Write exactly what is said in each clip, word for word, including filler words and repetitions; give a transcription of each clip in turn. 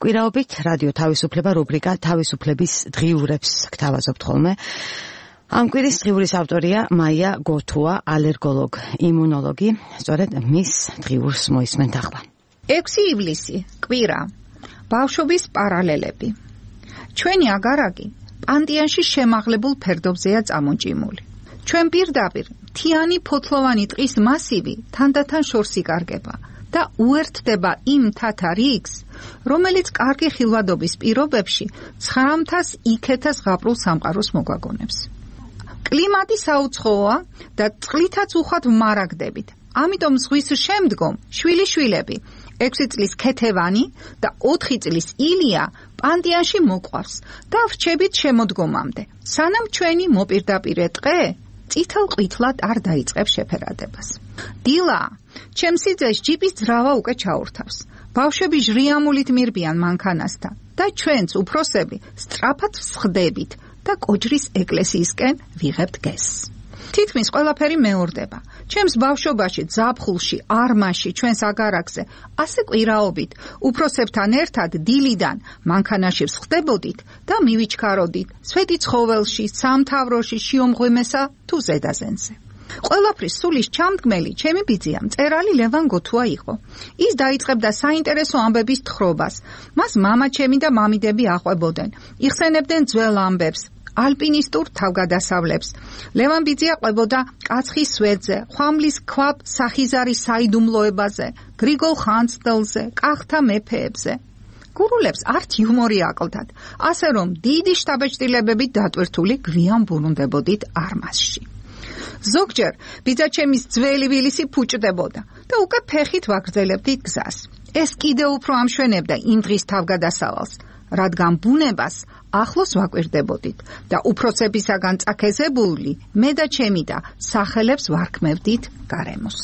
კვირაობით რადიო თავისუფლება რუბრიკა თავისუფლების დღიურებს გთავაზობთ ხოლმე. ამ კვირის დღიურის ავტორია მაია გოთუა, ალერგოლოგ, იმუნოლოგი. სწორედ მის დღიურს მოისმენთ ახლა. ექვსი ივლისი, კვირა. ბავშვობის პარალელები. ჩვენი აგარაკი პანტიანში შემაღლებულ ფერდობზეა წამოჭიმული. ჩვენ პირდაპირ მთიანი ფოთლოვანი ტყის მასივი თანდათან შორს იკარგება და უერთდება იმ მთათა რიგს, რომელიც კარგი ხილვადობის პირობებში ცხრამთას იქეთა ზღაპრულ სამყაროს მოგვაგონებს. კლიმატი საუცხოა და წყლითაც უხვად ვმარაგდებით. ამიტომ ზღვის შემდგომ შვილიშვილები, ექვსი წლის ქეთევანი და ოთხი წლის ილია პანტიანში მოყვავს და ვრჩებით შემოდგომამდე, სანამ ჩვენი მოპირდაპირე ტყე წითელ ყვითლად არ დაიწყებს შეფერადებას. დილა, ჩემს სიძეს ჯიპის ძრავა უკვე ჩაურთავს. ბავშვები ჟრიამულით მირბიან მანქანასთან და ჩვენც უფროსები სწრაფად ვსხდებით და კოჯრის ეკლესიისკენ ვიღებთ გეზს. თითქმის ყველაფერი მეორდება. ჩემს ბავშვობაში, ზაფხულში, არმაში, ჩვენს აგარაკზე, ასე კვირაობით, უფროსებთან ერთად დილიდან მანქანაში ვსხდებოდით და მივიჩქაროდით სვეტი ცხოველში, სამთავროში, შიომღვიმესა თუ ზედაზენზე. ყველაფრის სულის ჩამდგმელი ჩემი ბიძია, მწერალი ლევან გოთუა იყო. ის დაიწყებდა საინტერესო ამბების თხრობას. მას მამა ჩემი და მამიდები აყვებოდნენ. იხსენებდნენ ძველ ამბებს, ალპინისტურ თავგადასავლებს. ლევან ბიძია ყვებოდა კაცხის სვეტზე, ხვამლის ქვაბ სახიზარის საიდუმლოებაზე, გრიგოლ ხანძთელზე, კახთა მეფეებზე. გურულებს არც იუმორი აკლდათ, ასე რომ დიდი შთაბეჭდილებებით დატვირთული გვიან ბრუნდებოდით არმაზში. ზოგჯერ ბიძაჩემის ძველი ვილისი ფუჭდებოდა და უკვე ფეხით ვაგრძელებდით გზას. ეს კიდევ უფრო ამშვენებდა იმ დღის თავგადასავალს, რადგან ბუნებას ახლოს ვაკვირდებოდით და უფროსებისაგან წაქეზებული მე და ჩემი და სახელებს ვარქმევდით გარემოს.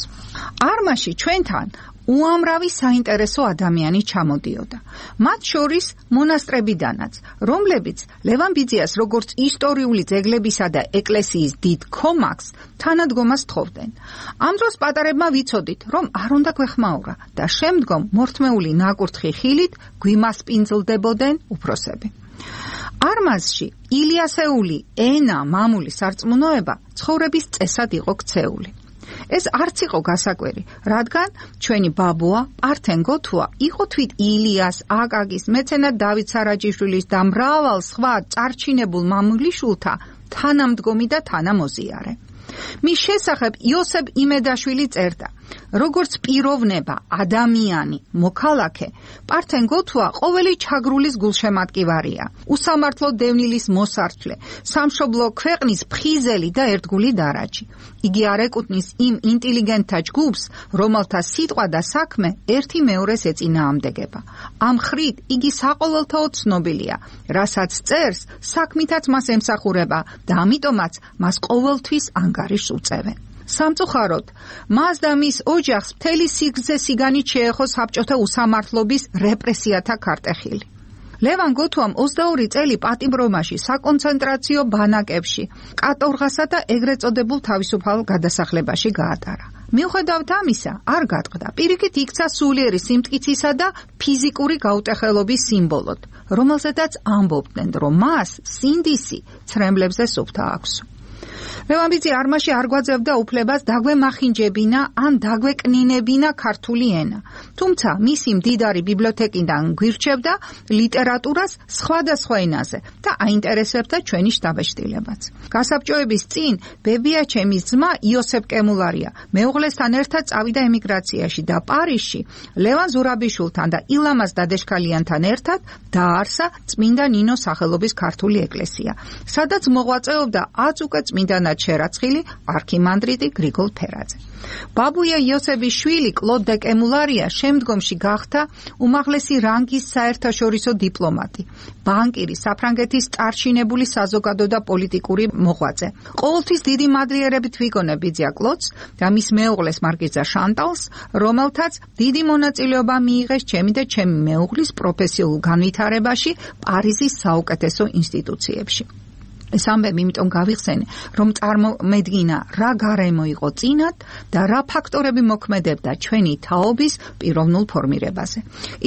არმაში ჩვენთან უამრავი საინტერესო ადამიანი ჩამოდიოდა. მათ შორის მონასტრებიდანაც, რომლებიც ლევან ბიძიას როგორც ისტორიული ძეგლებისა და ეკლესიის დიდ ქომაგს თანადგომას თხოვდნენ. ამ დროს პატარებმა ვიცოდით, რომ არ უნდა გვეხმაურა და შემდგომ მორთმეული ნაკურთხი ხილით გვიმასპინძლდებოდნენ უფროსები. არმაზში ილიასეული ენა, მამული სარწმუნოება ცხოვრების წესად იყო ქცეული. ეს არც იყო გასაკვირი, რადგან ჩვენი ბაბუა პართენ გოთუა იყო თვით ილიას, აკაკის, მეცენად დავით სარაჯიშვილის და მრავალ სხვა წარჩინებულ მამულიშვილთა თანამდგომი და თანამოზიარე. მის შესახებ იოსებ იმედაშვილი წერდა, როგორც პიროვნება, ადამიანი, მოქალაქე, პართენ გოთუა ყოველი ჩაგრულის გულშემატკივარია, უსამართლო დევნილის მოსარჩლე, სამშობლო ქვეყნის ფხიზელი და ერთგული დარაჯი. იგი არ ეკუთვნის იმ ინტელიგენტთა ჯგუფს, რომელთა სიტყვა და საქმე ერთი მეორეს ეწინააღმდეგება. ამ ხრით იგი საყოველთაოდ ცნობილია, რასაც წერს, საქმითაც მას ემსახურება და ამიტომაც მას ყოველთვის ანგარიშს უწევენ. სამწუხაროდ, მას და მის ოჯახს მთელი სიგრძე სიგანით შეეხო საბჭოთა უსამართლობის რეპრესიათა ქარტეხილი. ლევან გოთუამ ოცდაორი წელი პატიმრომაში, საკონცენტრაციო ბანაკებში, კატორღასა და ეგრეთ წოდებულ თავისუფალ გადასახლებაში გაატარა. მიუხედავად ამისა, არ გატყდა. პირიქით იქცა სულიერი სიმტკიცისა და ფიზიკური გაუტეხელობის სიმბოლოდ, რომელზედაც ამბობდნენ, რომ მას სინდისი ცრემლებზე სუფთა აქვს. ლევან ბიძი არმაში არ გვაძებდა უფლებას დაგვემახინჯებინა ან დაგვეკნინებინა ქართული ენა. თუმცა მისი მდიდარი ბიბლიოთეკიდან გვირჩევდა ლიტერატურას სხვადასხვა ენაზე და აინტერესებდა ჩვენი შთაბეჭდილებაც. გასაბჭოების წინ ბებიაჩემის ძმა იოსებ კემულარია მეუღლესთან ერთად წავიდა ემიგრაციაში და პარიზში ლევან ზურაბიშვილთან და ილამაზ დადეშქალიანთან ერთად დააარსა წმინდა ნინოს სახელობის ქართული ეკლესია, სადაც მოღვაწეობდა აც უკვე წმინდანად შერაცხილი არქიმანდრიტი გრიგოლ ფერაძე. ბაბუია იოსების შვილი კლოდ დე კემულარია შემდგომში გახდა უმაღლესი რანგის საერთაშორისო დიპლომატი, ბანკირი, საფრანგეთის წარჩინებული საზოგადო და პოლიტიკური მოღვაწე. ყოველთვის დიდი მადლიერებით ვიგონებ ბიძია კლოდს და მის მეუღლეს მარკიზა შანტალს, რომელთაც დიდი მონაწილეობა მიიღეს ჩემი და ჩემი მეუღლის პროფესიულ განვითარებაში პარიზის საუკეთესო ინსტიტუციებში. ეს ამბები იმიტომ გავიხსენე, რომ წარმომედგინა რა გარემო იყო წინათ და რა ფაქტორები მოქმედებდა ჩვენი თაობის პიროვნულ ფორმირებაზე.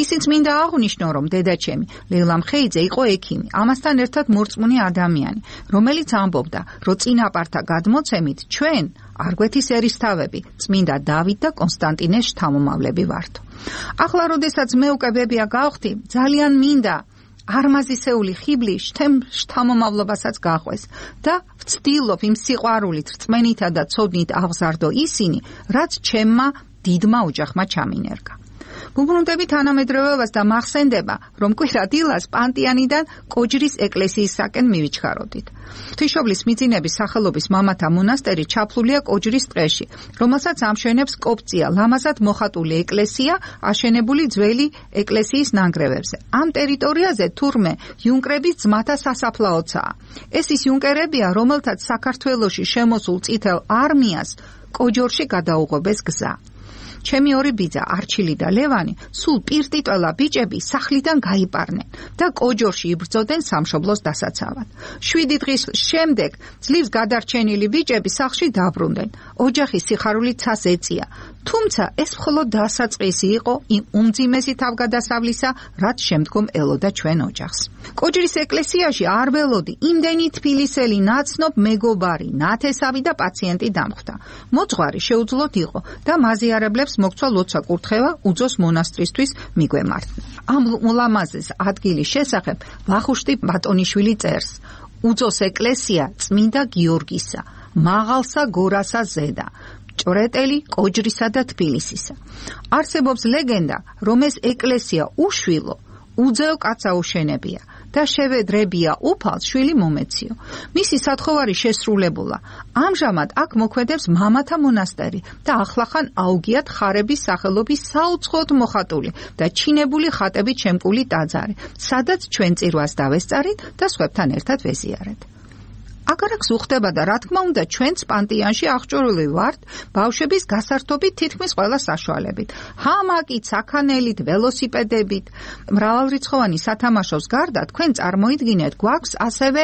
ისიც მინდა აღვნიშნო, რომ დედაჩემი ლეილამ ხეიძე იყო ექიმი, ამასთან ერთად მორწმუნე ადამიანი, რომელიც ამბობდა, რომ წინაპართა გადმოცემით ჩვენ არგვეთის ერისთავები, წმინდა დავით და კონსტანტინეს შთამომავლები ვართ. ახლა როდესაც მე უკვე ბებია გავხდი, ძალიან მინდა არმაზისეული ხიბლი შთამომავლობასაც გაყვეს და ვცდილობ იმ სიყვარულით, რწმენითა და ცოდნით აღზარდო ისინი, რაც ჩემმა დიდმა ოჯახმა ჩამინერგა. ვუბრუნდებით თანამედროვეობას და მახსენდება, რომ კვირა დილას პანტიანიდან კოჯრის ეკლესიისაკენ მივიჩქაროდით. ღვთისმშობლის მიძინების სახელობის მამათა მონასტერი ჩაფლულია კოჯრის ტყეში, რომელსაც ამშვენებს კოპწია, ლამაზად მოხატული ეკლესია, აშენებული ძველი ეკლესიის ნანგრევებზე. ამ ტერიტორიაზე თურმე იუნკრების ძმათა სასაფლაოცაა. ეს ის იუნკერებია, რომელთაც საქართველოში შემოსულ წითელ არმიას კოჯორში გადაუღობეს გზა. ჩემი ორი ბიძა, არჩილი და ლევანი, სულ პირტიტველა ბიჭები სახლიდან გაიპარნენ და კოჯორში იბრძოდნენ სამშობლოს დასაცავად. შვიდი დღის შემდეგ ძლივს გადარჩენილი ბიჭები სახლში დაბრუნდნენ. ოჯახის სიხარული ცას ეწია. თუმცა ეს მხოლოდ დასაწყისი იყო იმ უმძიმესი თავგადასავლისა, რაც შემდგომ ელოდა ჩვენ ოჯახს. კოჯრის ეკლესიაში არ ველოდი იმდენი თბილისელი ნაცნობ მეგობარი, ნათესავი და პაციენტი დამხვდა. მოძღვარი შეუძლოდ იყო და მაზიარებლებს მოგცვა ლოცვა კურთხევა უძოს მონასტრისთვის მიგვემართნა. ამ ულამაზეს ადგილის შესახებ ვახუშტი ბატონიშვილი წერს: უძოს ეკლესია წმინდა გიორგისა, მაღალსა გორასა ზედა, ჭრეტელი კოჯრისა და თბილისისა. არსებობს ლეგენდა, რომ ეს ეკლესია უშვილო, უძეო კაცსა უშენებია და შევედრებია უფალს შვილი მომეციო. მისი სათხოვარი შესრულებულა. ამჟამად აქ მოქმედებს მამათა მონასტერი და ახლახან აუგიათ ხარების სახელობის საუცხოოდ მოხატული და ჩინებული ხატებით შემკული ტაძარი, სადაც ჩვენ წირვას დავესწარით და სხვებთან ერთად ვეზიარეთ. აგარაკს უხდება და რა თქმა უნდა ჩვენც პანტიანში აღჭურვილი ვართ ბავშვების გასართობით თითქმის ყველა საშუალებით. ჰამაკით, საქანელით, ველოსიპედებით, მრავალრიცხოვანი სათამაშოს გარდა თქვენ წარმოიდგინეთ, გვაქვს ასევე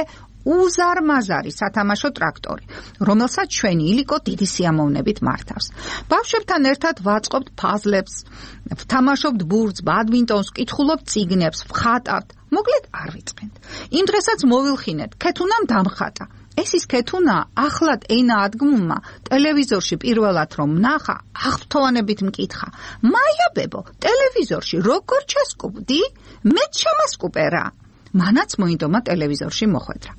უზარმაზარი სათამაშო ტრაქტორი, რომელსაც ჩვენი ილიკო დიდი სიამოვნებით მართავს. ბავშვებთან ერთად ვაწყობთ ფაზლებს, ვთამაშობთ ბურთს, ბადმინტონს, ვკითხულობთ წიგნებს, ვხატავთ. მოკლედ არ ვიწყენთ. იმ დღესაც მოვილხინეთ, ქეთუნამ დამხატა. ეს ის ქეთუნა ახლად ენა ადგმულმა ტელევიზორში პირველად რომ ნახა, აღფრთოვანებით მკითხა: მაია ბებო, ტელევიზორში როგორ ჩასკუბდი? მეც შემასკუპე რა. მანაც მოინდომა ტელევიზორში მოხვედრა.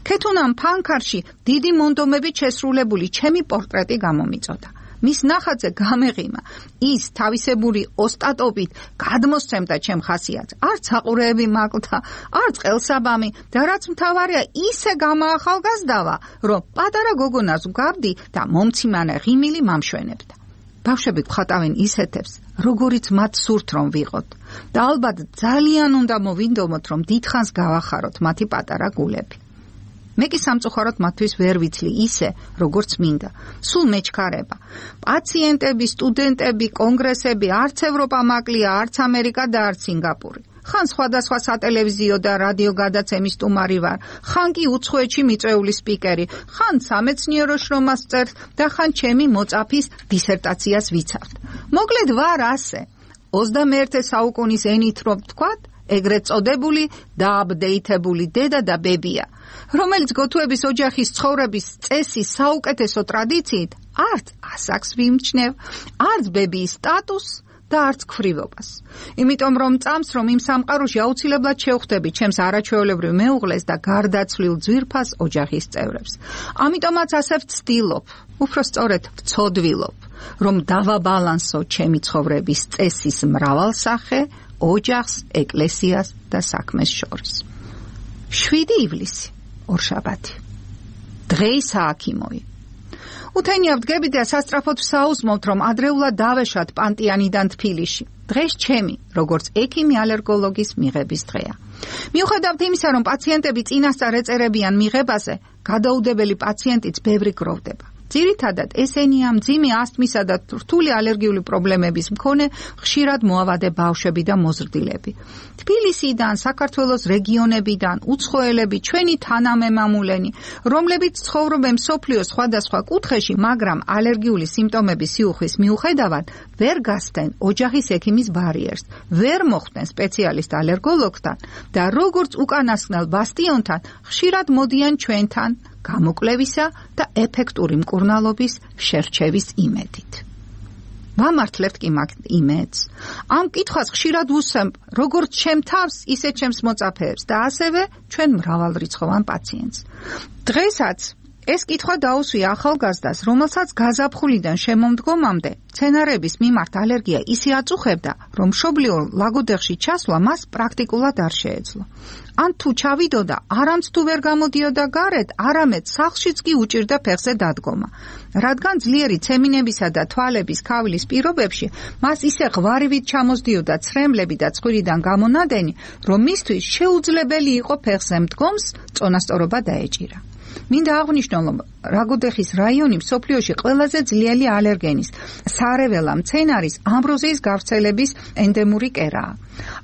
ქეთუნამ ფანქარში დიდი მონდომებით შესრულებული ჩემი პორტრეტი გამომიწოდა. მის ნახატზე გამეღიმა. ის თავისებური ოსტატობით გადმოსცემდა ჩემ ხასიათს. არც საყურეები მაკლდა, არც ყელსაბამი და რაც მთავარია, ისე გამაახალგაზრდავა, რომ პატარა გოგონას ვგავდი და მომციმანე ღიმილი მამშვენებდა. ბავშვები გვხატავენ ისეთებს, როგორიც მათ სურთ რომ ვიყოთ. და ალბათ ძალიან უნდა მოვინდომოთ, რომ დიდხანს გავახაროთ მათი პატარა გულები. მე კი სამწუხაროდ მათთვის ვერ ვიცლი ისე, როგორც მინდა. სულ მეჩქარება. პაციენტები, სტუდენტები, კონგრესები, არც ევროპა მაკლია, არც ამერიკა და არც სინგაპური. ხან სხვადასხვა სატელევიზიო და რადიო გადაცემის სტუმარი ვარ, ხან კი უცხოეთში მიწვეული სპიკერი, ხან სამეცნიერო შრომას წერთ და ხან ჩემი მოწაფის დისერტაციას ვიცავთ. მოკლედ ვარ ასე. ოცდამეერთე საუკუნის ენით რომ ვთქვათ, ეგრეთ წოდებული დააპდეითებული დედა და ბებია, რომელიც გოთუების ოჯახის ცხოვრების წესის საუკეთესო ტრადიციით არც ასაკს ვიმჩნევ, არც ბებიის სტატუსს და არც ქვრივობას. იმიტომ რომ წამს, რომ იმ სამყაროში აუცილებლად შევხვდები ჩემს არაჩვეულებრივ მეუღლეს და გარდაცვლილ ძვირფას ოჯახის წევრებს. ამიტომაც ასე ვცდილობ, უფრო სწორედ ვცოდვილობ, რომ დავაბალანსო ჩემი ცხოვრების წესის მრავალსახე ოჯახს, ეკლესიას და საქმეს შორის. შვიდი ივლისი, ორშაბათი. დღეისა აქიმოი. უთენია ვდგები და სასწრაფოდ ვსაუზმობთ, რომ ადრეულად დავეშად პანტიანიდან თბილისში. დღეს ჩემი, როგორც ექიმი ალერგოლოგის მიღების დღეა. მიუხედავად იმისა, რომ პაციენტები წინასწარ ეწერებიან მიღებაზე, გადაუდებელი პაციენტიც ბევრი გროვდება. ძირითადად ესენია მძიმე ასთმისა და რთული ალერგიული პრობლემების მქონე ხშირად მოავადე ბავშვები და მოზრდილები. თბილისიდან, საქართველოს რეგიონებიდან, უცხოელები, ჩვენი თანამემამულენი, რომლებიც ცხოვრობენ მსოფლიოს სხვადასხვა კუთხეში, მაგრამ ალერგიული სიმპტომების სიუხვის მიუხედავად ვერ გასცენ ოჯახის ექიმის ბარიერს, ვერ მოხვდნენ სპეციალისტ ალერგოლოგთან და როგორც უკანასკნელ ბასტიონთან ხშირად მოდიან ჩვენთან გამოკვლევისა და ეფექტური მკურნალობის შერჩევის იმედით. ვამართლებთ კი მაგ იმედს. ამ კითხვას ხშირად ვუსვამ როგორც ჩემ თავს, ისე ჩემს მოწაფეებს და ასევე ჩვენ მრავალრიცხოვან პაციენტს. დღესაც ეს კითხვა დაუსვია ახალგაზრდას, რომელსაც გაზაფხულიდან შემომდგომამდე მცენარეების მიმართ ალერგია ისე აწუხებდა, რომ მშობლიურ ლაგოდეხში ჩასვლა მას პრაქტიკულად არ შეეძლო. ან თუ ჩავიდოდა, არამც თუ ვერ გამოდიოდა გარეთ, არამედ სახლშიც კი უჭირდა ფეხზე დადგომა. რადგან ძლიერი ცემინებისა და თვალების ქავლის პირობებში მას ისე ღვარივით ჩამოსდიოდა ცრემლები და ცხვირიდან გამონადენი, რომ მისთვის შეუძლებელი იყო ფეხზე მდგომს წონასწორობა დაეჭირა. მინდა აღვნიშნო, რომ რაგოდეხის რაიონი მსოფლიოში ყველაზე ძლიერი ალერგენის, სარეველა მცენარის ამბროზიის გავრცელების ენდემური კერაა.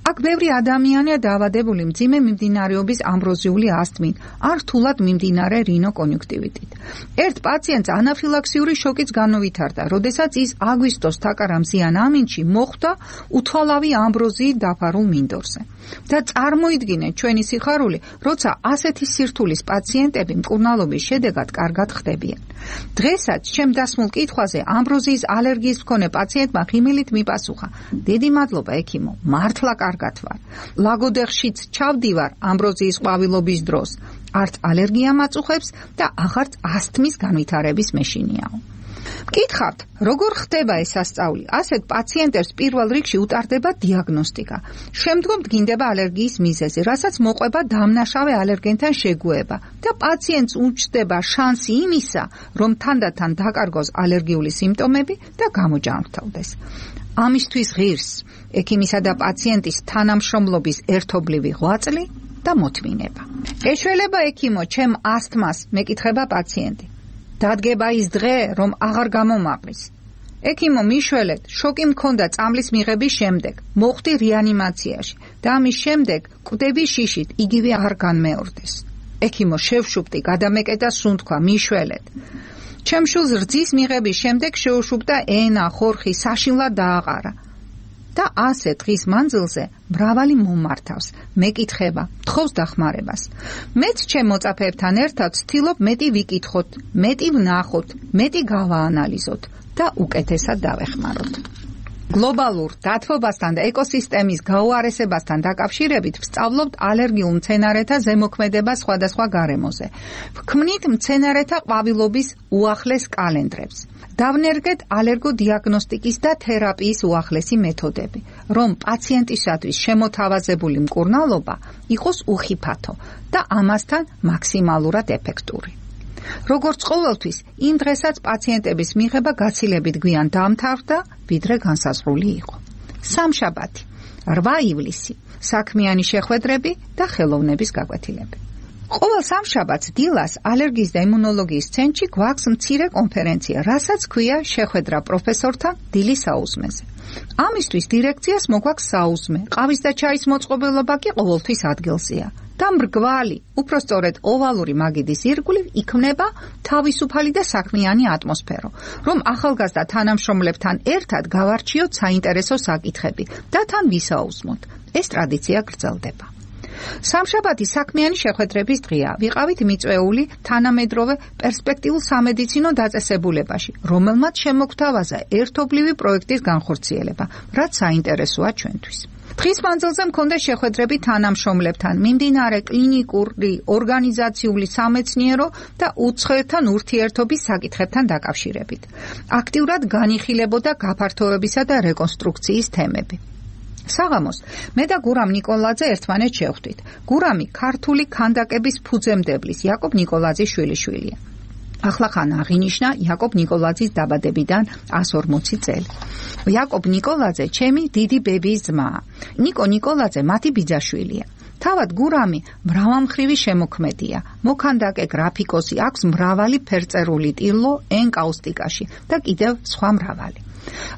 აქ ბევრი ადამიანია დაავადებული მძიმე მიმდინარეობის ამბროზიული ასთმით, ან რთულად მიმდინარე რინოკონიუნქტივიტით. ერთ პაციენტს ანაფილაქსიური შოკიც განუვითარდა, როდესაც ის აგვისტოს თაკარამზიან ამინჩი მოხვდა უთვალავი ამბროზიით დაფარულ მინდორზე. და წარმოიდგინეთ ჩვენი სიხარული, როცა ასეთი სირთულის პაციენტები მკურნალობის შედეგად კარგად ხდებიან. დღესაც ჩემ დასმულ კითხვაზე ამბროზიის ალერგიის მქონე პაციენტმა ხიმილით მიპასუხა: დიდი მადლობა ექიმო, მართლა კარგად ვარ. ლაგოდეხშიც ჩავდივარ ამბროზიის ყვავილობის დროს. არც ალერგია მაწუხებს და აღარც ასთმის განვითარების მეშინიაო. მკითხავთ, როგორ ხდება ეს სასწაული? ასეთ პაციენტებს პირველ რიგში უტარდება დიაგნოსტიკა. შემდგომ დგინდება ალერგიის მიზეზი, რასაც მოყვება დამნაშავე ალერგენთან შეგუება და პაციენტს უჩნდება შანსი იმისა, რომ თანდათან დაკარგოს ალერგიული სიმპტომები და გამოჯანმრთელდეს. ამისთვის ღირს ექიმისა და პაციენტის თანამშრომლობის ერთობლივი ღვაწლი და მოთმინება. ეშველება ექიმო, ჩემ ასთმას, მეკითხება პაციენტი. დადგება ის დღე, რომ აღარ გამომაყრის. ექიმო, მიშველეთ, შოკი მქონდა წამლის მიღების შემდეგ, მოხვდი რეანიმაციაში და ამის შემდეგ კვდები შიშით, იგივე აღარ განმეორდეს. ექიმო, შევშუპტი, გადამეკეტა სუნთქვა, მიშველეთ. ჩემ შულს რძის მიღების შემდეგ შეუშუპდა ენა, ხორხი, საშინლად დააყარა. და ასე დღის მანძილზე მრავალი მომართავს, მეკითხება, თხოვს დახმარებას. მეც ჩემ მოწაფეებთან ერთად ვცდილობ მეტი ვიკითხოთ, მეტი ვნახოთ, მეტი გავაანალიზოთ და უკეთესად დავეხმაროთ. გლობალურ დათბობასთან და ეკოსისტემის გაუარესებასთან დაკავშირებით ვსწავლობთ ალერგიულ მცენარეთა ზემოქმედებას სხვადასხვა გარემოზე. ვქმნით მცენარეთა ყვავილობის უახლეს კალენდრებს. დავნერგეთ ალერგოდიაგნოსტიკის და თერაპიის უახლესი მეთოდები, რომ პაციენტისათვის შემოთავაზებული მკურნალობა იყოს უხიფათო და ამასთან მაქსიმალურად ეფექტური. როგორც ყოველთვის, იმ დღესაც პაციენტების მიღება გაცილებით გვიან დამთავრდა, ვიდრე განსაზღვრული იყო. სამშაბათი, რვა ივლისი, საქმიანი შეხვედრები და ხელოვნების გაკვეთილები. ყოველ სამშაბათს დილას ალერგიის და იმუნოლოგიის ცენტრში გვაქვს მცირე კონფერენცია, რასაც ქვია შეხვედრა პროფესორთან დილის საუზმეზე. ამისთვის დირექციას მოგვაქვს საუზმე, ყავის და ჩაის მოწყობილობა კი ყოველთვის ადგილზეა. და მრგვალი, უпроსწორედ ოვალური მაგიდის ირგვლივ იქმნება თავისუფალი და საქმიანი ატმოსფერო, რომ ახალგაზრდა თანამშრომლებთან ერთად გავარჩიოთ საინტერესო საკითხები და თან ვისაუზმოთ. ეს ტრადიცია გრძელდება. სამშაბათი საქმიანი შეხვედრების დღეა. ვიყავით მიწვეული თანამედროვე პერსპექტიულ სამედიცინო დაწესებულებაში, რომელმაც შემოგთავაზა ერთობლივი პროექტის განხორციელება, რაც საინტერესოა ჩვენთვის. დღის მანძილზე მქონდა შეხვედრები თანამშრომლებთან, მიმდინარე კლინიკური, ორგანიზაციული, სამეცნიერო და უცხოელთან ურთიერთობის საკითხებთან დაკავშირებით. აქტიურად განიხილებოდა გაფართოებისა და რეკონსტრუქციის თემები. საღამოს მე და გურამ ნიკოლაძე ერთმანეთს შევხვდით. გურამი ქართული ქანდაკების ფუძემდებლის იაკობ ნიკოლაძის შვილიშვილია. ახლახან აღინიშნა იაკობ ნიკოლაძის დაბადებიდან ასი ორმოცი წელი. იაკობ ნიკოლაძე ჩემი დიდი ბებიის ძმაა. ნიკო ნიკოლაძე მათი ბიძაშვილია. თავად გურამი მრავალმხრივი შემოქმედია. მოქანდაკე გრაფიკოსი, აქვს მრავალი ფერწერული ტილო ენკაუსტიკაში და კიდევ სხვა მრავალი.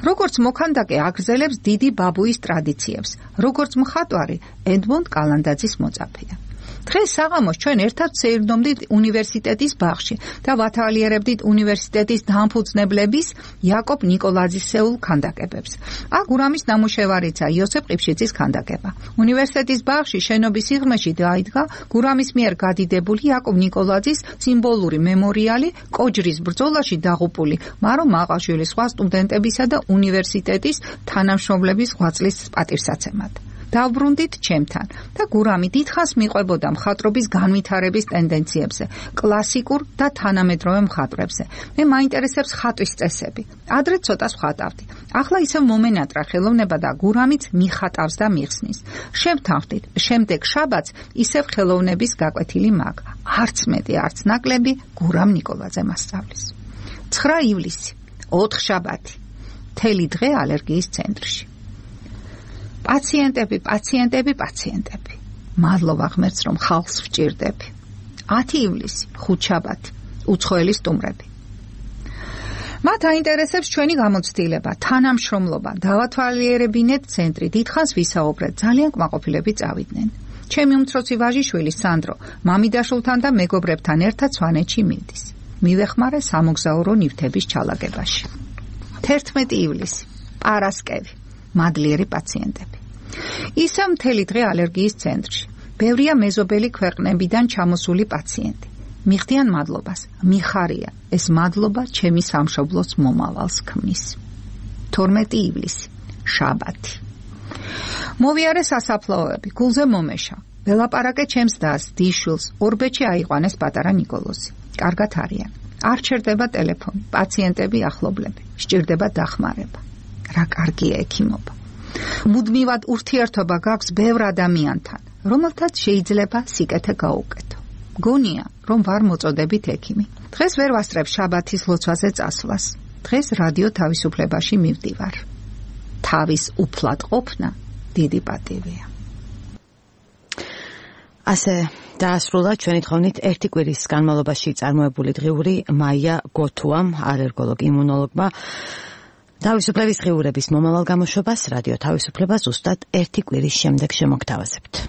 როგორც მოქანდაკე აგრძელებს დიდი ბაბუის ტრადიციებს, როგორც მხატვარი ედმონდ კალანდაძის მოწაფეა. დღეს საღამოს ჩვენ ერთად ვსეირნობდით უნივერსიტეტის ბაღში და ვათვალიერებდით უნივერსიტეტის დამფუძნებლების იაკობ ნიკოლაძისეულ ქანდაკებებს. აქ გურამის ნამუშევარიცა იოსებ ყიფშიძის ქანდაკება. უნივერსიტეტის ბაღში შენობის სიღრმეში დაიდგა გურამის მიერ გადიდებული იაკობ ნიკოლაძის სიმბოლური მემორიალი კოჯრის ბრძოლაში დაღუპული მარო მაყაშვილის სხვა სტუდენტებისა და უნივერსიტეტის თანამშრომლების ღვაწლის პატივსაცემად. დავბრუნდით ჩემთან და გურამი დიდხანს მიყვებოდა მხატვრობის განვითარების ტენდენციებზე, კლასიკურ და თანამედროვე მხატვრებზე. მე მაინტერესებს ხატვის წესები. ადრე ცოტა ვხატავდი. ახლა ისევ მომენატრა ხელოვნება და გურამიც მიხატავს და მიხსნის. შევთანხმდით, შემდეგ შაბათს ისევ ხელოვნების გაკვეთილი მაქვს. არც მეტი, არც ნაკლები გურამ ნიკოლაძე მასწავლის. ცხრა ივლისი, ოთხ შაბათი. მთელი დღე ალერგიის ცენტრში. პაციენტები, პაციენტები, პაციენტები. მადლობა ღმერთს, რომ ხალხს ვჭირდები. ათი ივლისი, ხუთშაბათი, უცხოელი სტუმრები. მათ აინტერესებს ჩვენი გამოცდილება, თანამშრომლობა, დავათვალიერებინეთ ცენტრი, დიდხანს ვისაუბრეთ, ძალიან კმაყოფილები წავიდნენ. ჩემი უმცროსი ვაჟიშვილი სანდრო, მამიდაშვილთან და მეგობრებთან ერთად სვანეთში მიდის. მივეხმარე სამოგზაურო ნივთების ჩალაგებაში. თერთმეტი ივლისი, პარასკევი. მადლიერი პაციენტები. ისევ მთელი დღე ალერგიის ცენტრში. ბევრია მეზობელი ქვეყნებიდან ჩამოსული პაციენტი. მიხდიან მადლობას, მიხარია, ეს მადლობა ჩემი სამშობლოს მომავალს ქმნის. თორმეტი ივლისი, შაბათი. მოვიარე სასაფლაოები, გულზე მომეშა. ველაპარაკე ჩემს დას, დიშვილს, ორბეთში აიყვანეს პატარა ნიკოლოზი. კარგად არიან. არ ჩერდება ტელეფონი, პაციენტები ახლობლები, სჭირდება დახმარება. რა კარგია ექიმობა. მუდმივად ურთიერთობა გაქვს ბევრ ადამიანთან, რომელთაც შეიძლება სიკეთე გაუკეთო. გონია, რომ ვარ მოწოდებით ექიმი. დღეს ვერ ვასწრებ შაბათის ლოცვაზე წასვლას. დღეს რადიო თავისუფლებაში მივდივარ. თავის უფლად ყოფნა დიდი პატივია. ასე დაასრულა ჩვენი თხოვნით ერთი კვირის განმავლობაში წარმოებული დღიური მაია გოთუამ, ალერგოლოგ იმუნოლოგმა. თავისუფლების დღიურების მომავალ გამოშვებას რადიო თავისუფლება ზუსტად ერთი კვირის შემდეგ შემოგთავაზებთ.